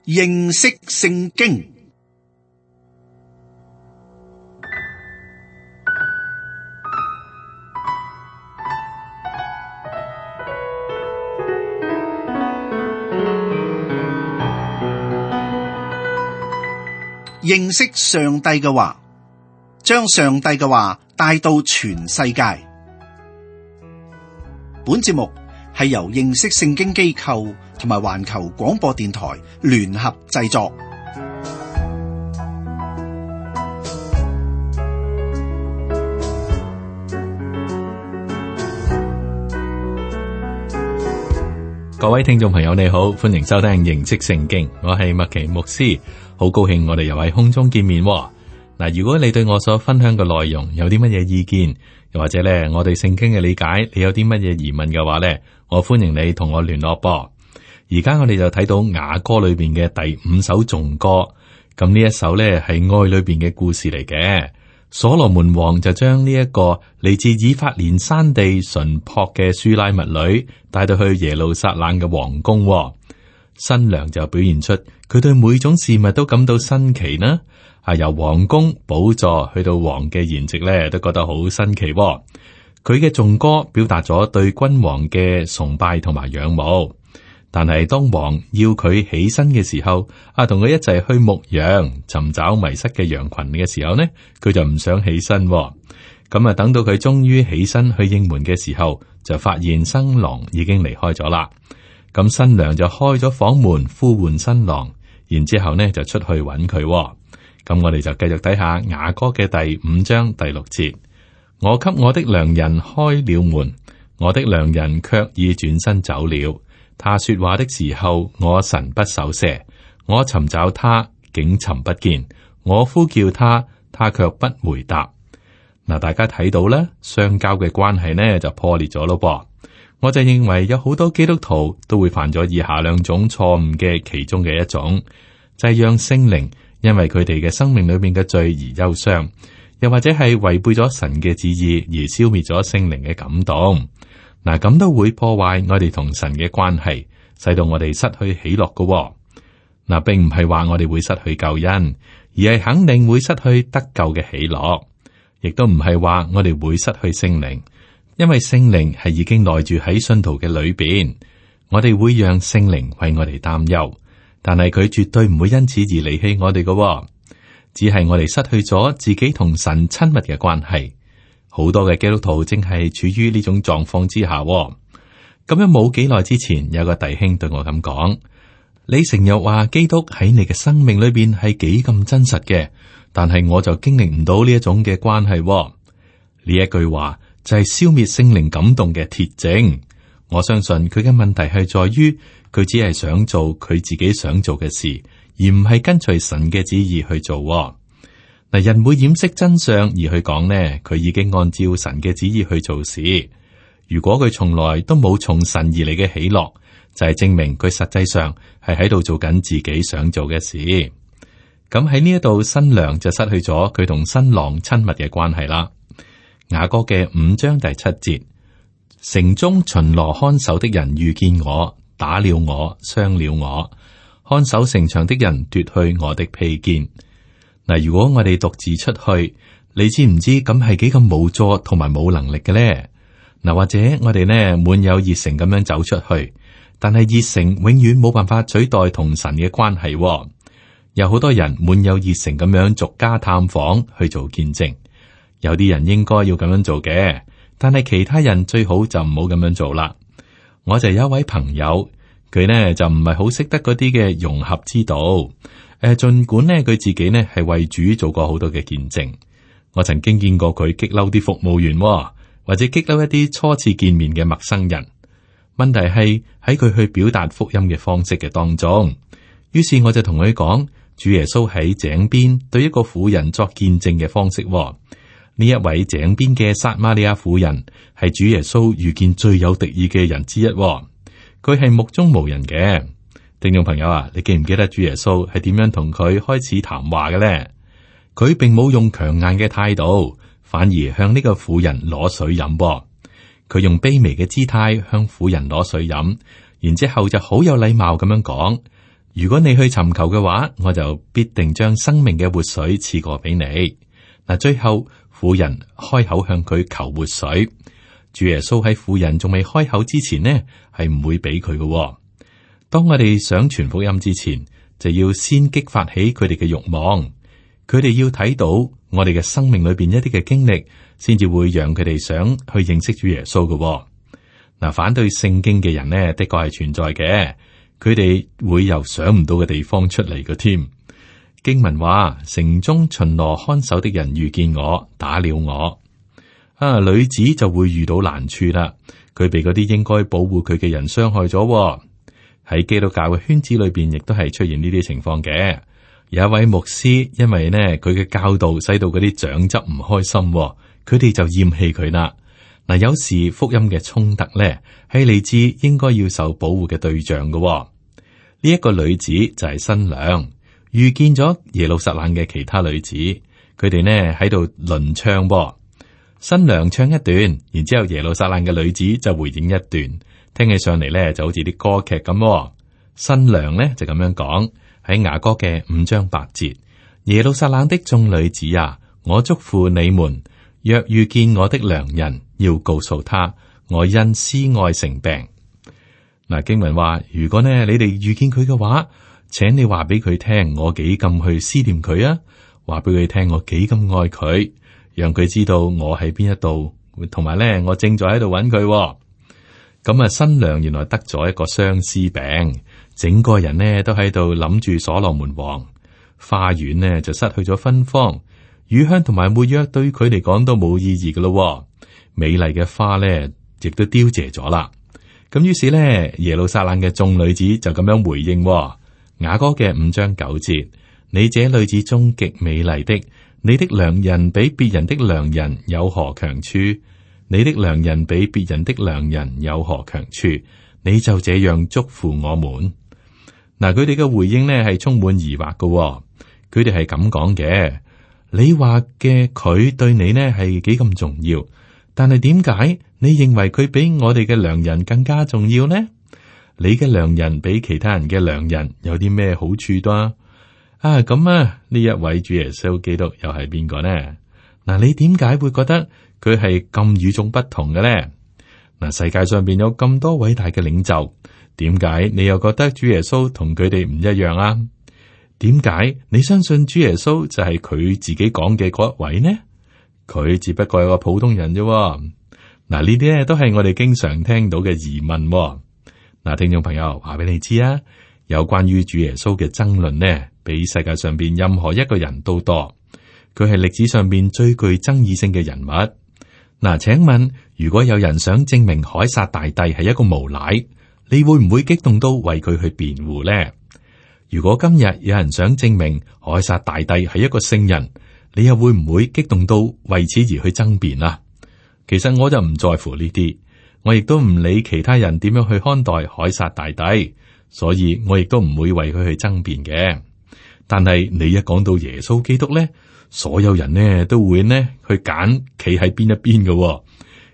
認識聖經。認識上帝嘅話，將上帝嘅話帶到全世界。本節目係由認識聖經機構同埋環球廣播電台聯合製作。各位聽眾朋友你好，歡迎收聽認識聖經，我係麥奇牧師，好高興我哋又喺空中見面。嗱，如果你對我所分享嘅內容有啲乜嘢意見，又或者咧我對聖經嘅理解，你有啲乜嘢疑問嘅話咧，我歡迎你同我聯絡噃。而家我哋就睇到雅歌裏邊嘅第5首頌歌，咁呢一首咧係愛裏邊嘅故事嚟嘅。所羅門王就將呢一個嚟自以法蓮山地純樸嘅書拉密女帶到去耶路撒冷嘅皇宮，新娘就表現出佢對每種事物都感到新奇啦。由皇宮寶座去到王嘅筵席咧，都覺得好新奇。佢嘅頌歌表達咗對君王嘅崇拜同埋仰慕。但係當王要佢起身嘅時候，同佢一齊去牧羊，尋找迷失嘅羊群嘅時候呢，佢就唔想起身。咁等到佢終於起身去應門嘅時候，就發現新郎已經離開咗啦。咁新娘就開咗房門呼喚新郎，然之後呢就出去揾佢。咁我哋就繼續睇下雅歌嘅第5章第6節。我給我的良人開了門，我的良人卻已轉身走了。他說話的時候，我神不守舍。我尋找他，竟尋不見；我呼叫他，他卻不回答。嗱，大家睇到咧，相交嘅關係呢就破裂咗咯噃。我就認為有好多基督徒都會犯咗以下2種錯誤嘅其中嘅一種，就係讓聖靈因為佢哋嘅生命裏面嘅罪而憂傷，又或者係違背咗神嘅旨意而消滅咗聖靈嘅感動。嗱，咁都會破壞我哋同神嘅關係，使到我哋失去喜樂嘅。嗱，並唔係話我哋會失去救恩，而係肯定會失去得救嘅喜樂，亦都唔係話我哋會失去聖靈，因為聖靈係已經內住喺信徒嘅裏邊。我哋會讓聖靈為我哋擔憂，但係佢絕對唔會因此而離棄我哋嘅，只係我哋失去咗自己同神親密嘅關係。好多嘅基督徒正係處於呢種狀況之下。咁樣冇幾耐之前，有個弟兄對我咁講：你成日話基督喺你嘅生命裏邊係幾咁真實嘅，但係我就經歷唔到呢一種嘅關係。呢一句話就係消滅聖靈感動嘅鐵證。我相信佢嘅問題係在於佢只係想做佢自己想做嘅事，而唔係跟隨神嘅旨意去做。嗱，人會掩飾真相而去講呢，佢已經按照神嘅旨意去做事。如果佢從來都冇從神而嚟嘅喜樂，就係證明佢實際上係喺度做緊自己想做嘅事。咁喺呢一度，新娘就失去咗佢同新郎親密嘅關係啦。雅歌嘅5章第7節，城中巡邏看守的人遇見我，打了我，傷了我。看守城牆的人奪去我的披肩。嗱，如果我哋獨自出去，你知唔知咁係幾咁無助同埋冇能力嘅咧？嗱，或者我哋呢滿有熱誠咁樣走出去，但係熱誠永遠冇辦法取代同神嘅關係。有好多人滿有熱誠咁樣逐家探訪去做見證，有啲人應該要咁樣做嘅，但係其他人最好就唔好咁樣做啦。我就有一位朋友，佢呢就唔係好識得嗰啲嘅融合之道。盡管呢佢自己呢係為主做過好多嘅見證，我曾經見過佢激嬲啲服務員，或者激嬲一啲初次見面嘅陌生人。問題係喺佢去表達福音嘅方式嘅當中，於是我就同佢講，主耶穌喺井邊對一個婦人作見證嘅方式。呢一位井邊嘅撒瑪利亞婦人係主耶穌遇見最有敵意嘅人之一，佢係目中無人嘅。聽眾朋友啊，你記唔記得主耶穌係點樣同佢開始談話嘅咧？佢並冇用強硬嘅態度，反而向呢個婦人攞水飲。佢用卑微嘅姿態向婦人攞水飲，然之後就好有禮貌咁樣講：如果你去尋求嘅話，我就必定將生命嘅活水賜過俾你。嗱，最後婦人開口向佢求活水，主耶穌喺婦人仲未開口之前呢，係唔會俾佢嘅。當我哋想傳福音之前，就要先激發起佢哋嘅慾望，佢哋要睇到我哋嘅生命裏邊一啲嘅經歷，先至會讓佢哋想去認識主耶穌嘅。嗱，反對聖經嘅人呢，的確係存在嘅，佢哋會由想唔到嘅地方出嚟嘅添。經文話，城中巡邏看守的人遇見我，打了我。女子就會遇到難處啦，佢被嗰啲應該保護佢嘅人傷害咗。喺基督教嘅圈子裏邊，亦都係出現呢啲情況嘅。有一位牧師，因為呢佢嘅教導使到嗰啲長執唔開心，佢哋就厭棄佢啦。嗱，有時福音嘅衝突咧，係嚟自應該要受保護嘅對象嘅。呢一個女子就係新娘，遇見咗耶路撒冷嘅其他女子，佢哋呢喺度輪唱。新娘唱一段，然之後耶路撒冷嘅女子就回應一段，聽起上嚟咧就好似啲歌劇咁。新娘咧就咁樣講，喺雅歌嘅5章8節，耶路撒冷的眾女子啊，我囑咐你們，若遇見我的良人，要告訴他，我因思愛成病。嗱，經文話，如果呢你哋遇見佢嘅話，請你話俾佢聽，我幾咁去思念佢啊，話俾佢聽我幾咁愛佢，讓佢知道我喺邊一度，同埋咧我正在喺度揾佢。咁啊，新娘原來得咗一個相思病，整個人呢都喺度諗住所羅門王，花園呢就失去咗芬芳，乳香同埋沒藥對佢嚟講都冇意義噶咯。美麗嘅花呢亦都凋謝咗啦。咁於是呢，耶路撒冷嘅眾女子就咁樣回應。雅歌嘅5章9節，你這女子中極美麗的，你的良人比別人的良人有何強處？你的良人比別人的良人有何強處？你就這樣囑咐我們。嗱，佢哋嘅回應呢係充滿疑惑嘅。佢哋係咁講嘅，你話嘅佢對你呢係幾咁重要，但係點解你認為佢比我哋嘅良人更加重要呢？你嘅良人比其他人嘅良人有啲咩好處多？咁啊，呢一位主耶穌基督又係邊個呢？嗱，你點解會覺得佢係咁與眾不同嘅呢？嗱，世界上邊有咁多偉大嘅領袖，點解你又覺得主耶穌同佢哋唔一樣啊？點解你相信主耶穌就係佢自己講嘅嗰一位呢？佢只不過係個普通人啫。嗱，呢啲咧都係我哋經常聽到嘅疑問。嗱，聽眾朋友，話俾你知啊，有關於主耶穌嘅爭論呢，比世界上邊任何一個人都多。佢係歷史上邊最具爭議性嘅人物。嗱，請問，如果有人想證明凱撒大帝係一個無賴，你會唔會激動到為佢去辯護呢？如果今日有人想證明凱撒大帝係一個聖人，你又會唔會激動到為此而去爭辯啊？其實我就唔在乎呢啲，我亦都唔理其他人點樣去看待凱撒大帝，所以我亦都唔會為佢去爭辯嘅。但係你一講到耶穌基督咧，所有人呢都會呢去揀企喺邊一邊嘅。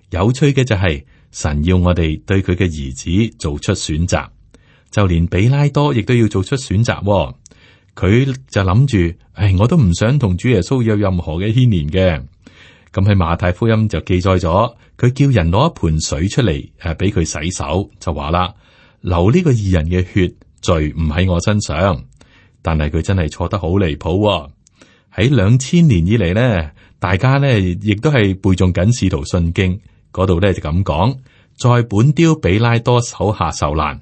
有趣嘅就係神要我哋對佢嘅兒子做出選擇，就連比拉多亦都要做出選擇。佢就諗住，我都唔想同主耶穌有任何嘅牽連嘅。咁喺馬太福音就記載咗，佢叫人攞一盆水出嚟，俾佢洗手，就話啦，流呢個義人嘅血，罪唔喺我身上。但係佢真係錯得好離譜。喺2000年以嚟呢，大家呢亦都係背誦緊使徒信經嗰度呢就咁講，在本丟比拉多手下受難。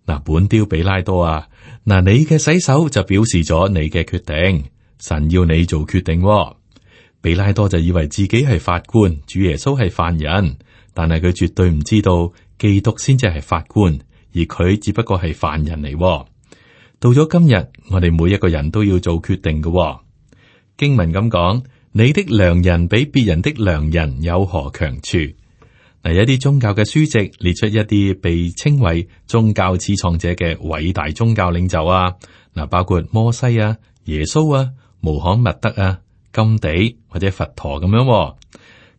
嗱，本丟比拉多啊，嗱，你嘅洗手就表示咗你嘅決定，神要你做決定。比拉多就以為自己係法官，主耶穌係犯人，但係佢絕對唔知道基督先至係法官，而佢只不過係犯人嚟。到咗今日，我哋每一個人都要做決定嘅。經文咁講，你的良人比別人的良人有何強處？嗱，有啲宗教嘅書籍列出一啲被稱為宗教始創者嘅偉大宗教領袖啊，嗱，包括摩西啊、耶穌啊、穆罕默德啊、甘地或者佛陀咁樣。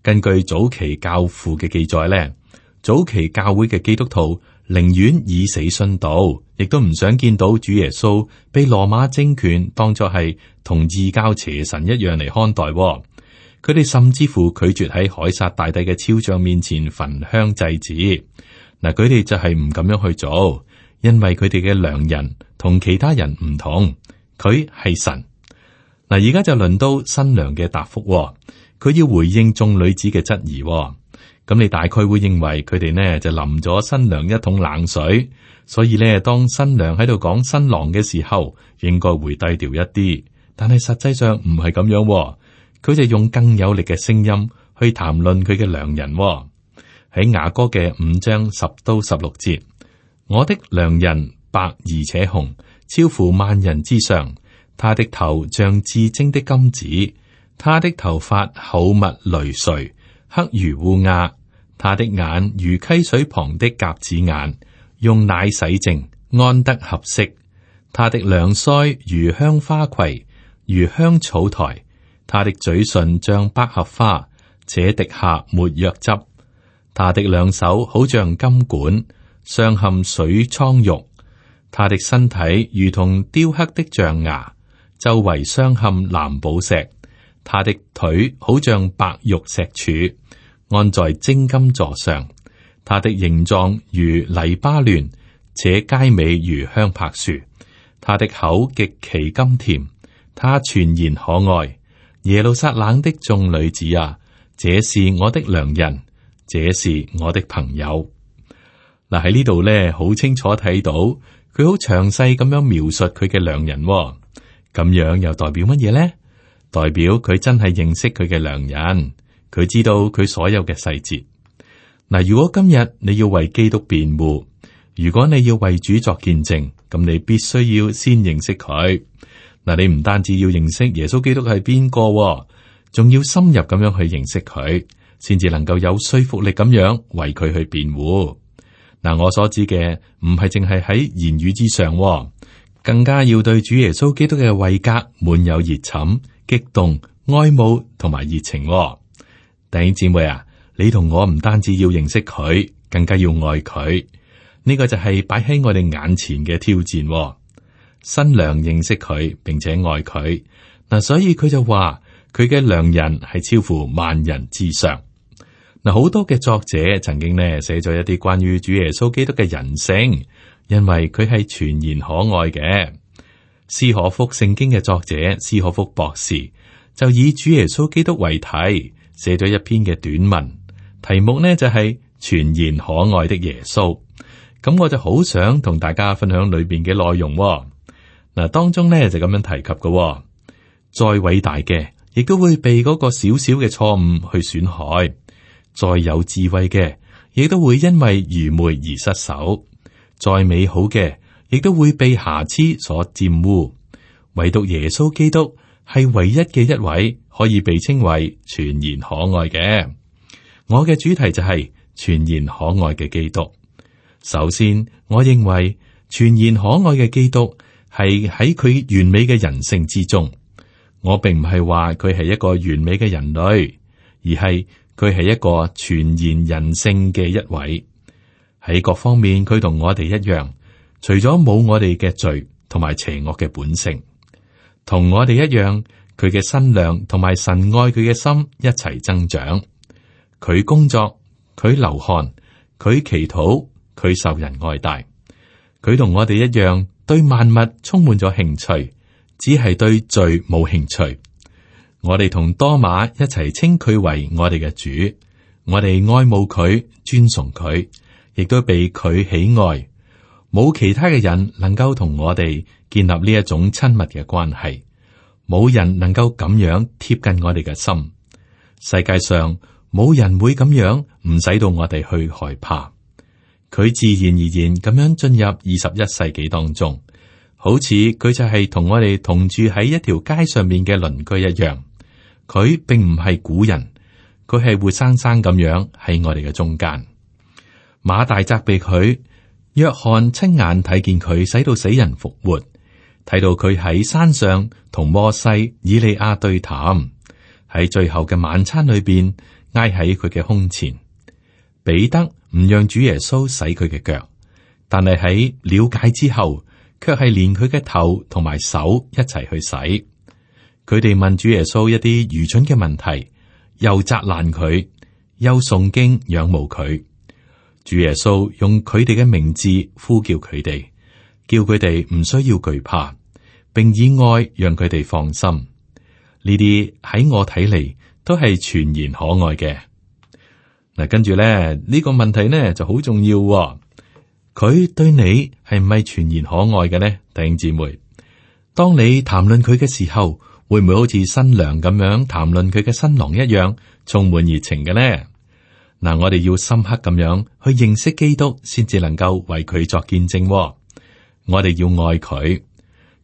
根據早期教父嘅記載咧，早期教會嘅基督徒寧願以死殉道，亦都唔想見到主耶穌被羅馬政權當作係同異教邪神一樣嚟看待。佢哋甚至乎拒絕喺凱撒大帝嘅肖像面前焚香祭祀。嗱，佢哋就係唔咁樣去做，因為佢哋嘅良人同其他人唔同，佢係神。嗱，而家就輪到新娘嘅答覆，佢要回應眾女子嘅質疑。咁你大概會認為佢哋呢就淋咗新娘一桶冷水，所以呢，當新娘喺度講新郎嘅時候，應該會低調一啲。但係實際上唔係咁樣，佢就用更有力嘅聲音去談論佢嘅良人。喺雅歌嘅5章10到16節，我的良人白而且紅，超乎萬人之上。他的頭像至精的金子，他的頭髮厚密纍垂，黑如烏鴉。他的眼如溪水旁的鴿子眼，用奶洗淨，安得合適。他的兩腮如香花畦，如香草台。他的嘴唇像百合花，且滴下沒藥汁。他的兩手好像金管，鑲嵌水蒼玉。他的身體如同雕刻的象牙，周圍鑲嵌藍寶石。他的腿好像白玉石柱，安在精金座上。他的形狀如黎巴嫩，且佳美如香柏樹。他的口極其甘甜，他全然可愛。耶路撒冷的眾女子啊，這是我的良人，這是我的朋友。嗱，喺呢度咧，好清楚睇到佢好詳細咁樣描述佢嘅良人。咁樣又代表乜嘢呢？代表佢真係認識佢嘅良人，佢知道佢所有嘅細節。嗱，如果今日你要為基督辯護，如果你要為主作見證，咁你必須要先認識佢。嗱，你唔單止要認識耶穌基督係邊個，仲要深入咁樣去認識佢，先至能夠有說服力咁樣為佢去辯護。嗱，我所指嘅唔係淨係喺言語之上，更加要對主耶穌基督嘅位格滿有熱忱、激動、愛慕同埋熱情。弟兄姊妹啊，你同我唔單止要認識佢，更加要愛佢。呢個就係擺喺我哋眼前嘅挑戰。新娘認識佢，並且愛佢。嗱，所以佢就話佢嘅良人係超乎萬人之上。嗱，好多嘅作者曾經呢寫咗一啲關於主耶穌基督嘅人性，因為佢係全然可愛嘅。斯可福聖經嘅作者斯可福博士就以主耶穌基督為題，寫咗一篇嘅短文，題目呢就係全然可愛的耶穌。咁我就好想同大家分享裏邊嘅內容。嗱，當中呢就咁樣提及嘅，再偉大嘅亦都會被嗰個小小嘅錯誤去損害。再有智慧嘅，亦都會因為愚昧而失手；再美好嘅，亦都會被瑕疵所玷污。唯獨耶穌基督係唯一嘅一位可以被稱為全然可愛嘅。我嘅主題就係全然可愛嘅基督。首先，我認為全然可愛嘅基督係喺佢完美嘅人性之中。我並唔係話佢係一個完美嘅人類，而係佢係一個全然人性嘅一位。喺各方面，佢同我哋一樣，除咗冇我哋嘅罪同埋邪惡嘅本性，同我哋一樣，佢嘅身量同埋神愛佢嘅心一齊增長。佢工作，佢流汗，佢祈禱，佢受人愛戴。佢同我哋一樣，對萬物充滿咗興趣，只係對罪冇興趣。我哋同多馬一齊稱佢為我哋嘅主，我哋愛慕佢，尊崇佢，亦都被佢喜愛。冇其他嘅人能夠同我哋建立呢一種親密嘅關係，冇人能夠咁樣貼近我哋嘅心。世界上冇人會咁樣唔使到我哋去害怕。佢自然而然咁樣進入21世紀當中，好似佢就係同我哋同住喺一條街上面嘅鄰居一樣。佢並唔係古人，佢係活生生咁樣喺我哋嘅中間。馬大責備佢，約翰親眼睇見佢使到死人復活，睇到佢喺山上同摩西、以利亞對談，喺最後嘅晚餐裏邊挨喺佢嘅胸前。彼得唔讓主耶穌洗佢嘅腳，但係喺了解之後，卻係連佢嘅頭同埋手一齊去洗。佢哋問主耶穌一啲愚蠢嘅問題，又責難佢，又誦經仰慕佢。主耶穌用佢哋嘅名字呼叫佢哋，叫佢哋唔需要懼怕，並以愛讓佢哋放心。呢啲喺我睇嚟都係全然可愛嘅。嗱，跟住咧呢個問題呢就好重要喎。佢對你係唔係全然可愛嘅呢？弟兄姊妹，當你談論佢嘅時候，會唔會好似新娘咁樣談論佢嘅新郎一樣，充滿熱情嘅呢？嗱，我哋要深刻咁樣去認識基督，先至能夠為佢作見證喎。我哋要愛佢，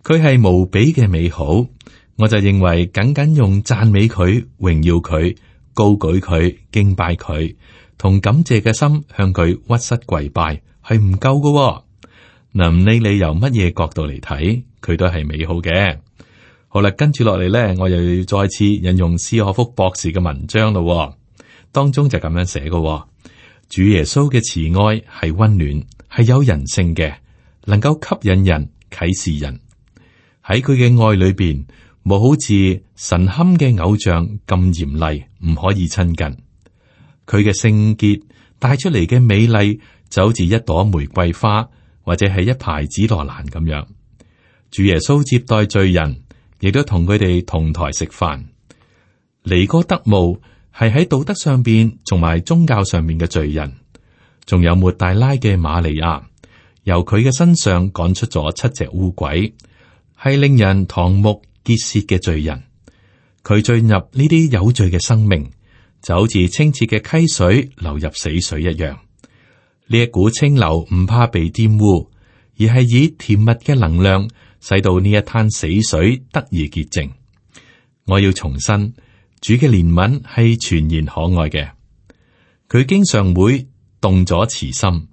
佢係無比嘅美好。我就認為僅僅用讚美佢、榮耀佢、高舉佢、敬拜佢，同感謝嘅心向佢屈膝跪拜係唔夠嘅。嗱，唔理你由乜嘢角度嚟睇，佢都係美好嘅。好啦，跟住落嚟咧，我又要再次引用斯可福博士嘅文章咯。當中就咁樣寫嘅：主耶穌嘅慈愛係溫暖，係有人性嘅，能夠吸引人、啟示人。喺佢嘅愛裏邊，冇好似神龕嘅偶像咁嚴厲，唔可以親近。佢嘅聖潔帶出嚟嘅美麗，就好似一朵玫瑰花，或者係一排紫羅蘭咁樣。主耶穌接待罪人，亦都同佢哋同台食飯。尼哥德慕係喺道德上邊同埋宗教上面嘅罪人，仲有抹大拉嘅瑪利亞，由佢嘅身上趕出咗7隻污鬼，係令人瞠目結舌嘅罪人。佢進入呢啲有罪嘅生命，就好似清澈嘅溪水流入死水一樣。呢一股清流唔怕被玷污，而係以甜蜜嘅能量使到呢一灘死水得以潔淨。我要重申，主嘅憐憫係全然可愛嘅。佢經常會動咗慈心，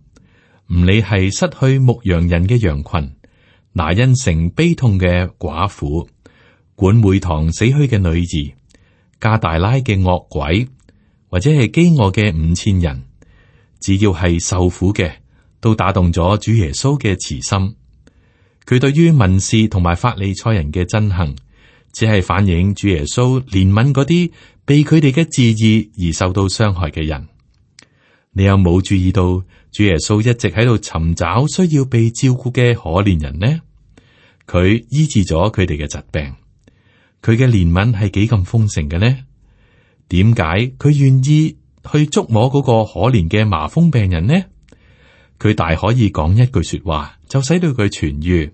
唔理係失去牧羊人嘅羊群，拿因城悲痛嘅寡婦，管會堂死去嘅女兒，加大拉嘅惡鬼，或者係飢餓嘅5000人，只要係受苦嘅，都打動咗主耶穌嘅慈心。佢對於文士同埋法利賽人嘅憎恨，只係反映主耶穌憐憫嗰啲被佢哋嘅自義而受到傷害嘅人。你有冇注意到主耶穌一直喺度尋找需要被照顧嘅可憐人呢？佢醫治咗佢哋嘅疾病，佢嘅憐憫係幾咁豐盛嘅呢？點解佢願意去觸摸嗰個可憐嘅麻風病人呢？佢大可以講一句說話就使到佢痊愈，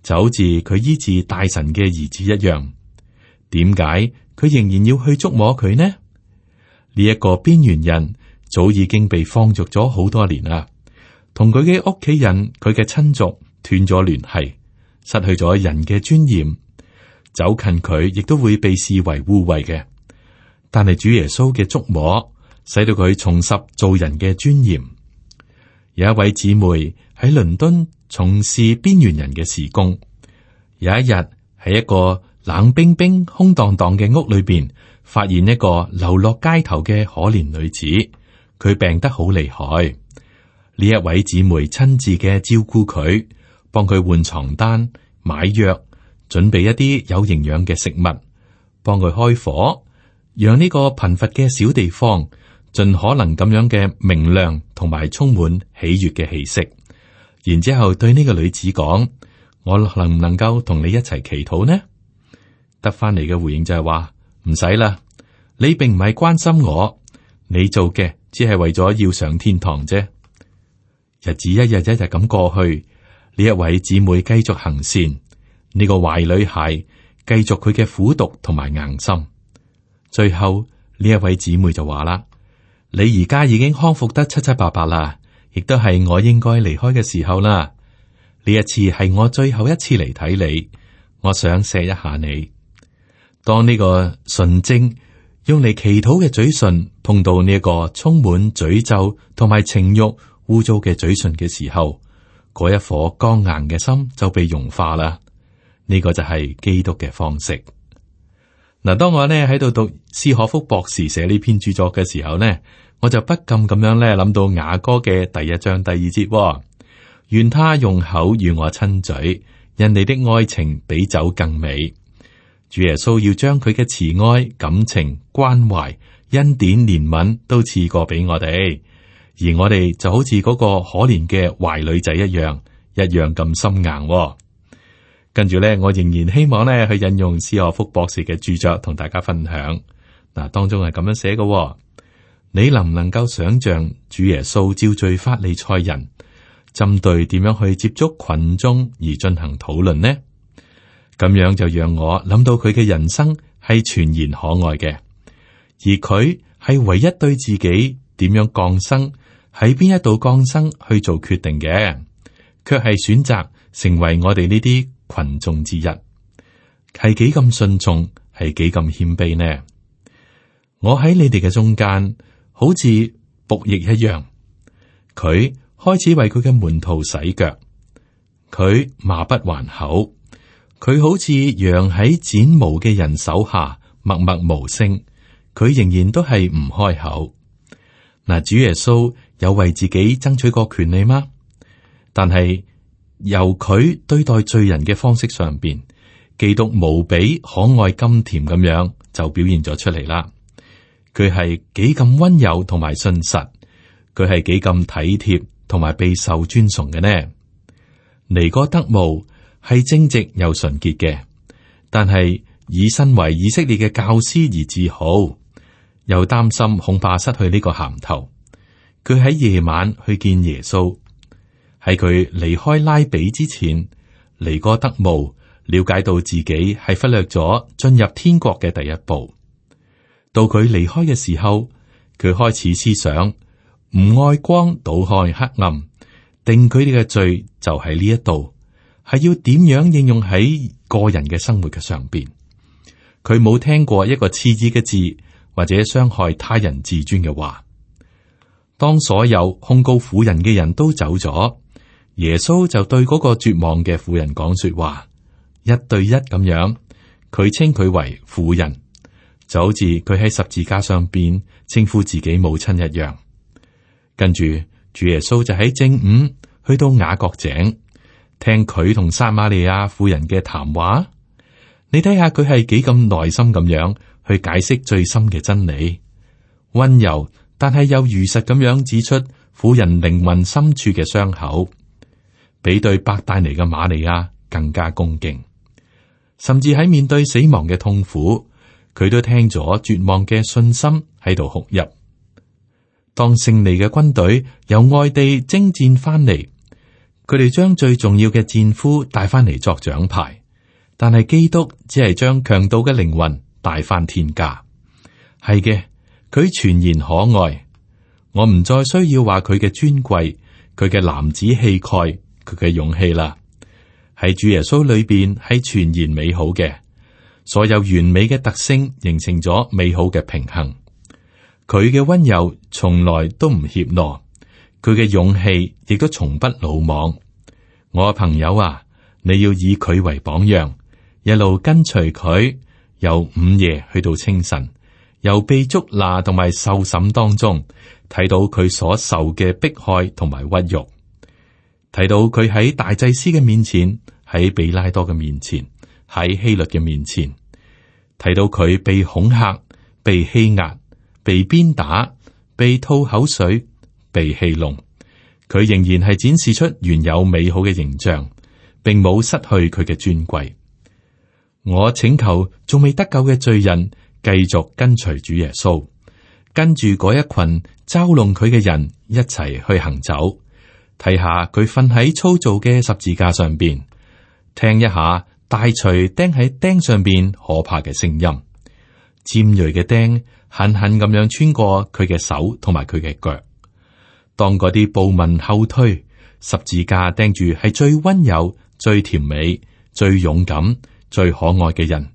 就好似佢醫治大神嘅兒子一樣。點解佢仍然要去觸摸佢呢？呢一個邊緣人早已經被放逐咗好多年啦，同佢嘅屋企人、佢嘅親族斷咗聯繫，失去咗人嘅尊嚴。走近佢亦都會被視為污穢嘅。但係主耶穌嘅觸摸，使到佢重拾做人嘅尊嚴。有一位姊妹喺倫敦從事邊緣人嘅事工。有一日喺一個冷冰冰、空蕩蕩嘅屋裏邊，發現一個流落街頭嘅可憐女子，佢病得好厲害。呢一位姊妹親自嘅照顧佢，幫佢換床單、買藥、準備一啲有營養嘅食物，幫佢開火，讓呢個貧乏嘅小地方盡可能咁樣嘅明亮同埋充滿喜悅嘅氣息。然之後對呢個女子講：我能唔能夠同你一齊祈禱呢？得翻嚟嘅回應就係話唔使啦，你並唔係關心我，你做嘅只係為咗要上天堂啫。日子一日一日咁過去，呢一位姊妹繼續行善，呢個壞女孩繼續佢嘅苦毒同埋硬心。最後呢一位姊妹就話啦：你而家已經康復得七七八八啦，亦都係我應該離開嘅時候啦。呢一次係我最後一次嚟睇你，我想錫一下你。當呢個純正用嚟祈禱嘅嘴唇碰到呢一個充滿詛咒同埋情慾污糟嘅嘴唇嘅時候，嗰一顆剛硬嘅心就被融化啦。呢個就係基督嘅方式。嗱，當我呢喺度讀斯可福博士寫呢篇著作嘅時候呢，我就不禁咁樣呢諗到雅歌嘅第1章第2節。願他用口與我親嘴，因你的愛情比酒更美。主耶穌要將佢嘅慈愛、感情、關懷、恩典、憐憫都賜過俾我哋，而我哋就好似嗰個可憐嘅壞女仔一樣咁心硬。跟住咧，我仍然希望咧去引用斯荷福博士嘅著作同大家分享。嗱，當中係咁樣寫嘅，你能唔能夠想象主耶穌召聚法利賽人，針對點樣去接觸群眾而進行討論呢？咁樣就讓我諗到佢嘅人生係全然可愛嘅，而佢係唯一對自己點樣降生，喺邊一度降生去做決定嘅，卻係選擇成為我哋呢啲群眾之一，係幾咁順從，係幾咁謙卑呢？我喺你哋嘅中間，好似僕役一樣。佢開始為佢嘅門徒洗腳，佢罵不還口，佢好似羊喺剪毛嘅人手下默默無聲，佢仍然都係唔開口。嗱，主耶穌有為自己爭取過權利嗎？但係由佢對待罪人嘅方式上邊，基督無比可愛甘甜咁樣就表現咗出嚟啦。佢係幾咁溫柔同埋信實，佢係幾咁體貼同埋備受尊崇嘅呢？尼哥德慕係正直又純潔嘅，但係以身為以色列嘅教師而自豪，又擔心恐怕失去呢個銜頭。佢喺夜晚去見耶穌，喺佢離開拉比之前，尼哥德慕了解到自己係忽略咗進入天國嘅第一步。到佢離開嘅時候，佢開始思想唔愛光，倒看黑暗，定佢哋嘅罪就喺呢一度，係要點樣應用喺個人嘅生活嘅上邊。佢冇聽過一個刺耳嘅字或者傷害他人自尊嘅話。當所有控告婦人嘅人都走咗，耶穌就對嗰個絕望嘅婦人講說話，一對一咁樣，佢稱佢為婦人。就好似佢喺十字架上邊稱呼自己母親一樣。跟住主耶穌就喺正午去到雅各井，聽佢同撒瑪利亞婦人嘅談話。你睇下佢係幾咁耐心咁樣去解釋最深嘅真理，溫柔但係又如實咁樣指出婦人靈魂深處嘅傷口，比對伯大尼嘅瑪利亞更加恭敬。甚至喺面對死亡嘅痛苦，佢都聽咗絕望嘅信心喺度哭泣。當勝利嘅軍隊由外地征戰翻嚟，佢哋將最重要嘅戰俘帶翻嚟作獎牌，但係基督只係將強盜嘅靈魂帶翻天家。係嘅，佢全然可愛。我唔再需要話佢嘅尊貴，佢嘅男子氣概，佢嘅勇氣啦。喺主耶穌裏邊係全然美好嘅。所有完美嘅特性形成咗美好嘅平衡。佢嘅溫柔從來都唔怯懦，佢嘅勇氣亦都從不魯莽。我嘅朋友啊，你要以佢為榜樣，一路跟隨佢，由午夜去到清晨，由被捉拿同埋受審當中，睇到佢所受嘅迫害同埋屈辱，睇到佢喺大祭司嘅面前，喺比拉多嘅面前，喺希律嘅面前，睇到佢被恐嚇、被欺壓、被鞭打、被吐口水、被戲弄，佢仍然係展示出原有美好嘅形象，並冇失去佢嘅尊貴。我請求仲未得救嘅罪人繼續跟隨主耶穌，跟住嗰一群嘲弄佢嘅人一齊去行走，睇下佢瞓喺粗糙嘅十字架上邊，聽一下大錘釘喺釘上邊可怕嘅聲音，尖銳嘅釘狠狠咁樣穿過佢嘅手同埋佢嘅腳。當嗰啲暴民後退，十字架釘住係最溫柔、最甜美、最勇敢、最可愛嘅人，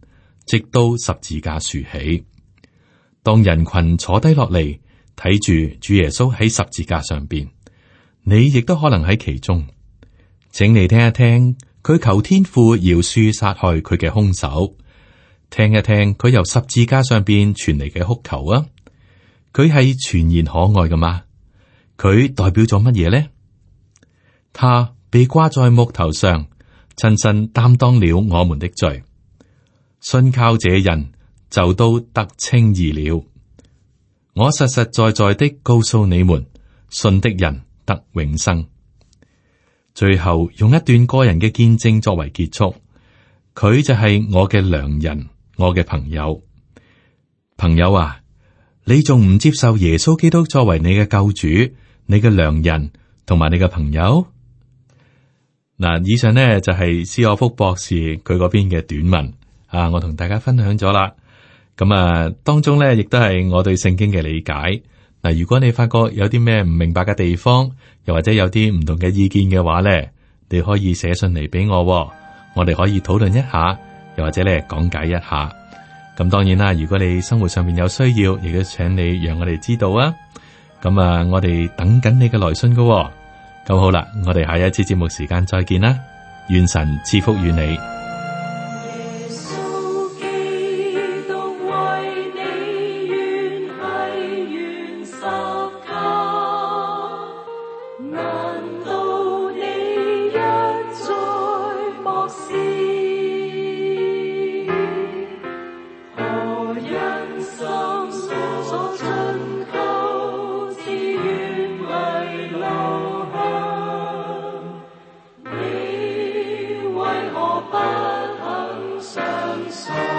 直到十字架豎起。當人群坐低落嚟睇住主耶穌喺十字架上邊，你亦都可能喺其中。請你聽一聽佢求天父饒恕殺害佢嘅兇手，聽一聽佢由十字架上邊傳嚟嘅哭求啊！佢係全然可愛噶嘛？佢代表咗乜嘢呢？他被掛在木頭上，親身擔當了我們的罪。信靠這人就都得稱義了。我實實在在的告訴你們，信的人得永生。最後用一段個人嘅見證作為結束，佢就係我嘅良人，我嘅朋友。朋友啊，你仲唔接受耶穌基督作為你嘅救主、你嘅良人同埋你嘅朋友？嗱，以上呢就係斯可福博士佢嗰邊嘅短文啊，我同大家分享咗啦。咁啊，當中呢亦都係我對聖經嘅理解。嗱，如果你發覺有啲咩唔明白嘅地方，又或者有啲唔同嘅意見嘅話呢，你可以寫信嚟俾我，我哋可以討論一下，又或者咧講解一下。咁當然啦，如果你生活上面有需要，亦都請你讓我哋知道啊。咁啊，我哋等緊你嘅來信噶。咁好啦，我哋下一次節目時間再見啦，願神賜福與你。不肯相信。